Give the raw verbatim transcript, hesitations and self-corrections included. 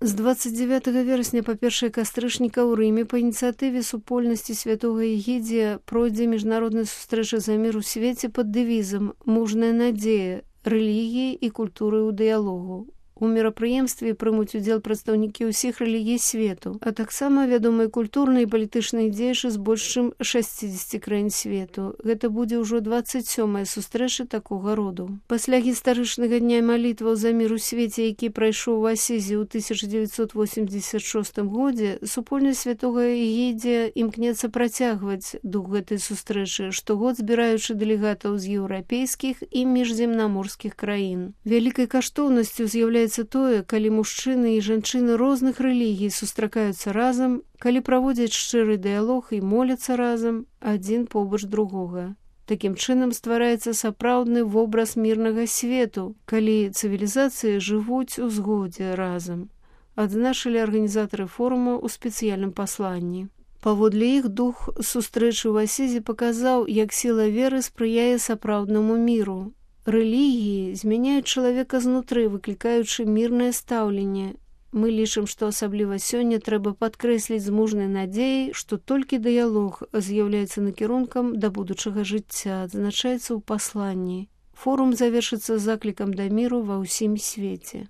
З двадцать девятого верасня па першае кастрычніка ў Рыме па ініцыятыве супольнасці святога Егідзія пройдзе міжнародная сустрэча за мір у свеце пад дэвізам «Мужная надзея. Рэлігіі і культуры ў дыялогу». У мерапрыемстве прымуць удзел прадстаўнікі ўсіх рэлігій свету, а таксама вядомыя культурныя і палітычныя дзеячы з больш чым шасцідзесяці краін свету. Гэта будзе ўжо двадцать сёмая сустрэча такога роду. Пасля гістарычнага дня малітваў за мір у свеце, які прайшоў у Асізе ў тысяча дзевяцьсот восемьдесят шостым годзе, супольнасць святога Егідзія імкнецца працягваць дух гэтай сустрэчы, штогод збіраючы дэлегатаў з еўрапейскіх і міжземнаморскіх краін. Вялікай каштоўнасцю з'яўляецца тое, калі мужчыны і жанчыны розных рэлігій сустракаюцца разам, калі праводзяць шчыры дыялог і моляцца разам адзін побач другога. Такім чынам ствараецца сапраўдны вобраз мірнага свету, калі цывілізацыі жывуць у згодзе разам, адзначылі арганізатары форума ў спецыяльным пасланні. Паводле іх дух сустрэчы ў Асізе паказаў, як сіла веры спрыяе сапраўднаму міру. Рэлігіі змяняюць чалавека знутры, выклікаючы мірнае стаўленне. Мы лічым, што асабліва сёння трэба падкрэсліць з мужнай надзеяй, што толькі дыялог з'яўляецца накірункам да будучага жыцця, адзначаецца ў пасланні. Форум завершыцца заклікам да міру ва ўсім свеце.